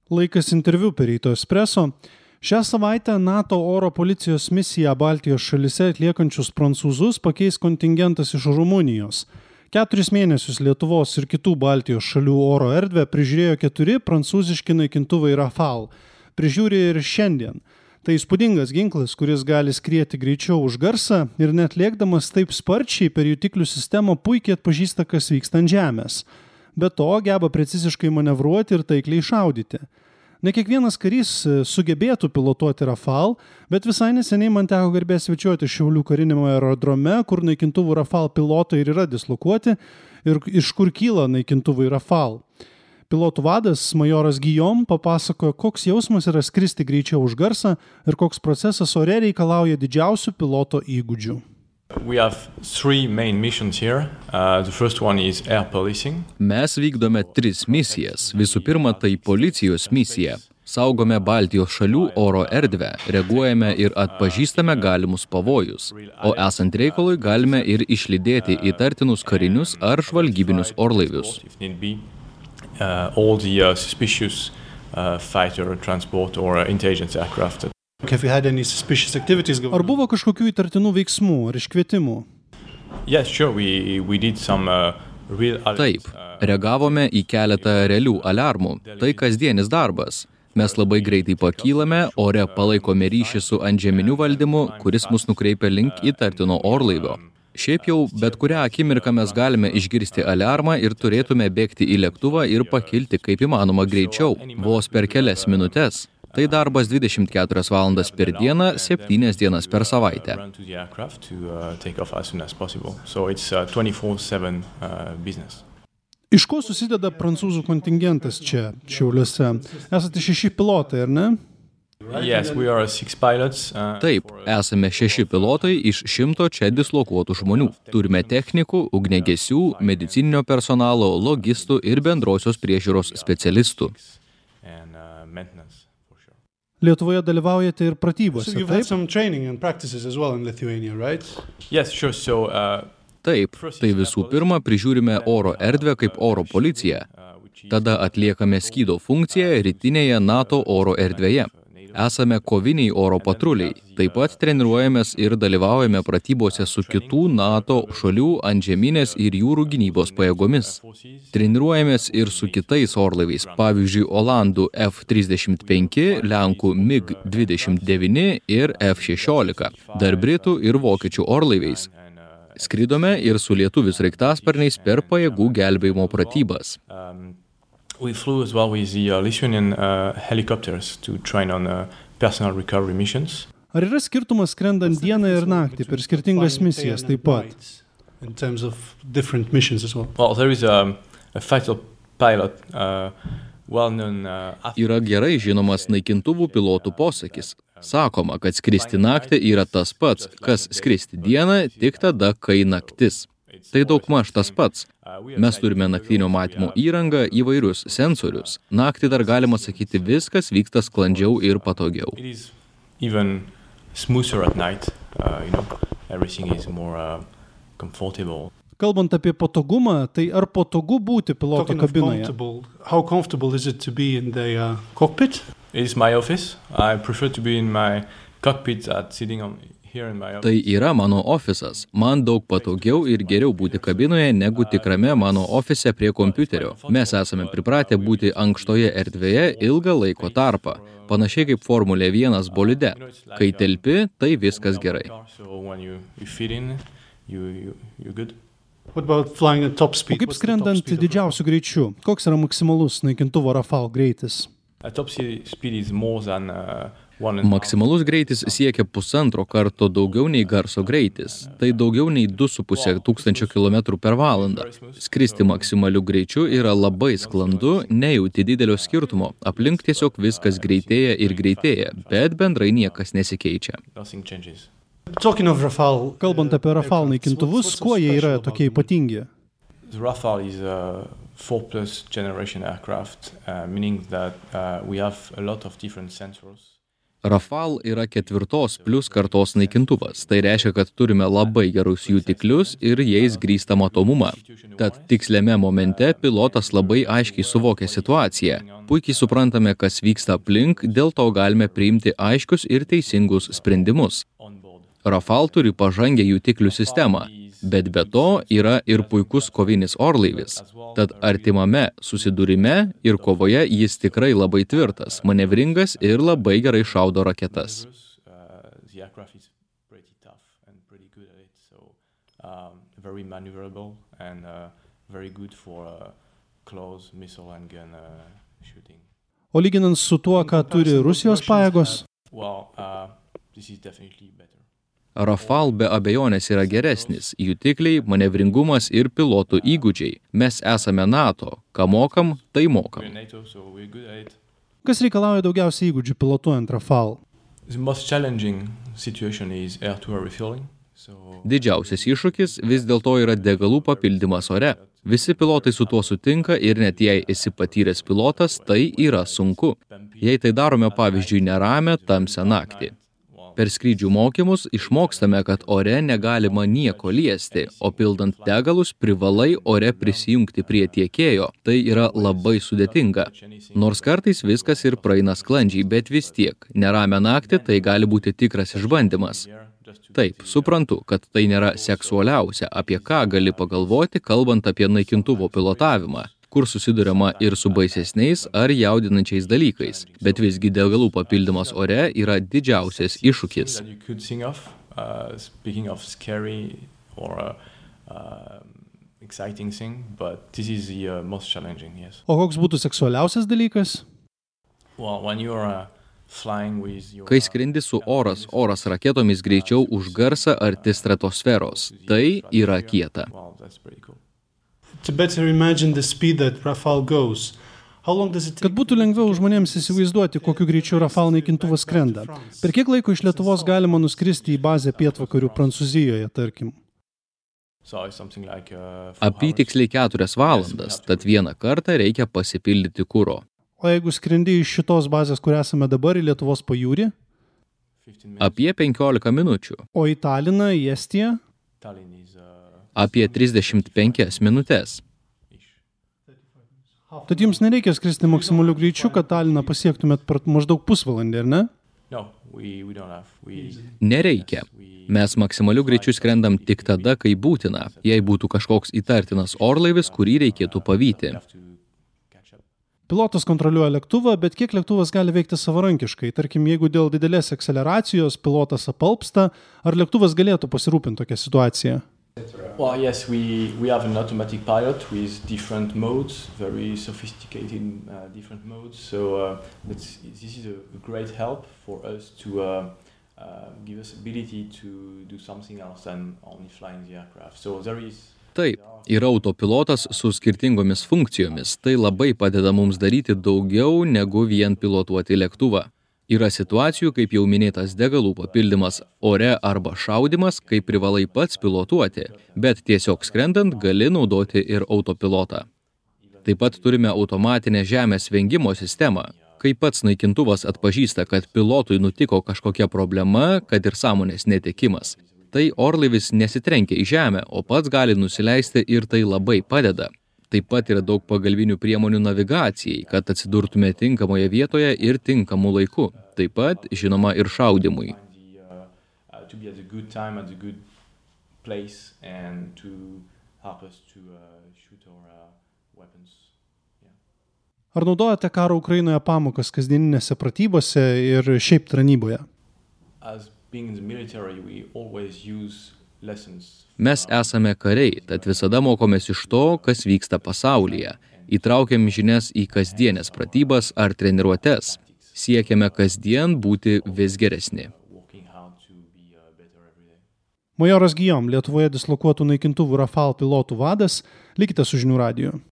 Laikas interviu per Ryto Espresso. Šią savaitę NATO oro policijos misiją Baltijos šalyse atliekančius prancūzus pakeis kontingentas iš Rumunijos. 4 mėnesius Lietuvos ir kitų Baltijos šalių oro erdvę prižiūrėjo 4 prancūziški naikintuvai Rafale. Prižiūri ir šiandien. Tai įspūdingas ginklas, kuris gali skrieti greičiau už garsą ir net lėkdamas taip sparčiai per jutiklių sistemą puikiai atpažįsta, kas vyksta ant žemės. Be to, geba preciziškai manevruoti ir taikliai šaudyti. Ne kiekvienas karys sugebėtų pilotuoti Rafale, bet visai neseniai man teko garbė svečiuoti Šiaulių kariniame aerodrome, kur naikintuvų Rafale pilotai ir yra dislokuoti ir iš kur kyla naikintuvai Rafale. Pilotų vadas majoras Guillaume papasakojo, koks jausmas yra skristi greičiau už garsą ir koks procesas ore reikalauja didžiausių piloto įgūdžių. We have 3 main missions here. The first one is air policing. Mes vykdome 3 misijas. Visų pirma, tai policijos misija. Saugome Baltijos šalių oro erdvę, reaguojame ir atpažįstame galimus pavojus, o esant reikalui galime ir išlydėti įtartinus karinius ar žvalgybinius orlaivius. All the suspicious fighter, transport or intelligence aircraft. Ar buvo kažkokių įtartinų veiksmų ar iškvietimų? Yes, sure. We did some real alerts. Taip, reagavome į keletą realių aliarmų. Tai kasdienis darbas. Mes labai greitai pakylame, ore palaikome ryšį su antžeminiu valdymu, kuris mus nukreipia link įtartino orlaivio. Šiaip jau, bet kurią akimirką mes galime išgirsti aliarmą ir turėtume bėgti į lėktuvą ir pakilti kaip įmanoma greičiau, vos per kelias minutes. Tai darbas 24 valandas per dieną, 7 dienas per savaitę. Iš ko susideda prancūzų kontingentas čia, Šiauliuose? Esate 6 pilotai, ar ne? Yes, we are 6 pilots. Taip, esame 6 pilotai iš 100 čia dislokuotų žmonių. Turime technikų, ugniagesių, medicininio personalo, logistų ir bendrosios priežiūros specialistų. Lietuvoje dalyvaujate ir pratybose, taip? Yes, sure. Taip, tai visų pirma prižiūrime oro erdvę kaip oro policija. Tada atliekame skydo funkciją rytinėje NATO oro erdvėje. Esame koviniai oro patruliai. Taip pat treniruojamės ir dalyvaujame pratybose su kitų NATO šalių antžeminės ir jūrų gynybos pajėgomis. Treniruojamės ir su kitais orlaiviais, pavyzdžiui, Olandų F-35, Lenkų MiG-29 ir F-16, dar Britų ir Vokiečių orlaiviais. Skridome ir su lietuvių sraigtasparniais per pajėgų gelbėjimo pratybas. We flew as well with the Lithuanian helicopters to train on personal recovery missions. Ar yra skirtumas skrendant dieną ir naktį per skirtingas misijas taip pat? In terms of different missions as well. Well, there is a fighter pilot, well-known. Yra gerai žinomas naikintuvų pilotų posakis. Sakoma, kad skristi naktį yra tas pats, kas skristi dieną tik tada, kai naktis. Tai daugmaž tas pats. Mes turime naktinio matymo įrangą, įvairius sensorius. Naktį dar galima sakyti, viskas vyksta sklandžiau ir patogiau. Kalbant apie patogumą, tai ar patogu būti piloto kabinoje? How comfortable is it to be in the cockpit? It is my office. I prefer to be in my cockpit sitting on. Tai yra mano ofisas. Man daug patogiau ir geriau būti kabinoje negu tikrame mano ofise prie kompiuterio. Mes esame pripratę būti ankštoje erdvėje ilgą laiko tarpą. Panašiai kaip Formulė 1 bolide. Kai telpi, tai viskas gerai. O kaip skrendant didžiausiu greičiu? Koks yra maksimalus naikintuvo Rafale greitis? Maksimalus greitis siekia 1,5 karto daugiau nei garso greitis. Tai daugiau nei 2,5 tūkstančio kilometrų per valandą. Skristi maksimaliu greičiu yra labai sklandu, nejauti didelio skirtumo. Aplink tiesiog viskas greitėja ir greitėja, bet bendrai niekas nesikeičia. Kalbant apie Rafale naikintuvus, kuo jie yra tokie ypatingi? The Rafale is a 4+ generation aircraft, meaning that we have a lot of different sensors. Rafale yra 4+ kartos naikintuvas. Tai reiškia, kad turime labai gerus jutiklius ir jais grįstą matomumą. Tad tiksliame momente pilotas labai aiškiai suvokia situaciją. Puikiai suprantame, kas vyksta aplink, dėl to galime priimti aiškius ir teisingus sprendimus. Rafale turi pažangę jutiklių sistemą, bet be to yra ir puikus kovinis orlaivis. Tad artimame susidūrime ir kovoje jis tikrai labai tvirtas, manevringas ir labai gerai šaudo raketas. O lyginant su tuo, ką turi Rusijos pajėgos? Rafale be abejonės yra geresnis – jutikliai, manevringumas ir pilotų įgūdžiai. Mes esame NATO. Ką mokam, tai mokam. Kas reikalauja daugiausiai įgūdžių pilotuojant Rafale? Didžiausias iššūkis vis dėlto yra degalų papildymas ore. Visi pilotai su tuo sutinka ir net jei esi patyręs pilotas, tai yra sunku. Jei tai darome pavyzdžiui neramią, tamsią naktį. Per skrydžių mokymus išmokstame, kad ore negalima nieko liesti, o pildant degalus privalai ore prisijungti prie tiekėjo. Tai yra labai sudėtinga. Nors kartais viskas ir praeina sklandžiai, bet vis tiek, neramią naktį tai gali būti tikras išbandymas. Taip, suprantu, kad tai nėra seksualiausia, apie ką gali pagalvoti, kalbant apie naikintuvo pilotavimą, kur susiduriama ir su baisesniais ar jaudinančiais dalykais, bet visgi degalų papildymas ore yra didžiausias iššūkis. O koks būtų seksualiausias dalykas? Kai skrendi su oras raketomis greičiau už garsą arti stratosferos, tai yra kieta. Kad būtų lengviau žmonėms įsivaizduoti, kokiu greičiu Rafale naikintuvas skrenda. Per kiek laiko iš Lietuvos galima nuskristi į bazę pietvakarių Prancūzijoje, tarkim? Apytiksliai 4 valandas, tad vieną kartą reikia pasipildyti kuro. O jeigu skrendi iš šitos bazės, kur esame dabar, į Lietuvos pajūrį? Apie 15 minučių. O į Taliną, į Estiją? Apie 35 minutes. Tad jums nereikia skristi maksimaliu greičiu, kad Taliną pasiektumėt per maždaug pusvalandį, ar ne? Nereikia. Mes maksimaliu greičiu skrendam tik tada, kai būtina, jei būtų kažkoks įtartinas orlaivis, kurį reikėtų pavyti. Pilotas kontroliuoja lėktuvą, bet kiek lėktuvas gali veikti savarankiškai? Tarkim, jeigu dėl didelės akceleracijos pilotas apalpsta, ar lėktuvas galėtų pasirūpinti tokią situaciją? Well, yes, we have an automatic pilot with different modes, very sophisticated different modes. So this is a great help for us to give us ability to do something else than only flying the aircraft. So there is. Taip, yra autopilotas su skirtingomis funkcijomis. Tai labai padeda mums daryti daugiau negu vien pilotuoti lėktuvą. Yra situacijų, kaip jau minėtas degalų papildymas ore arba šaudimas, kai privalai pats pilotuoti, bet tiesiog skrendant gali naudoti ir autopilotą. Taip pat turime automatinę žemės vengimo sistemą. Kai pats naikintuvas atpažįsta, kad pilotui nutiko kažkokia problema, kad ir sąmonės netekimas, tai orlaivis nesitrenkia į žemę, o pats gali nusileisti ir tai labai padeda. Taip pat yra daug pagalbinių priemonių navigacijai, kad atsidurtume tinkamoje vietoje ir tinkamu laiku. Taip pat, žinoma, ir šaudimui. Ar naudojate karo Ukrainoje pamokas kasdieninėse pratybose ir šiaip tarnyboje? Mes esame kariai, tad visada mokomės iš to, kas vyksta pasaulyje. Įtraukiam žinias į kasdienės pratybas ar treniruotes. Siekiame kasdien būti vis geresni. Majoras Guillaume, Lietuvoje dislokuotų naikintuvų Rafale pilotų vadas, likite su Žinių radiju.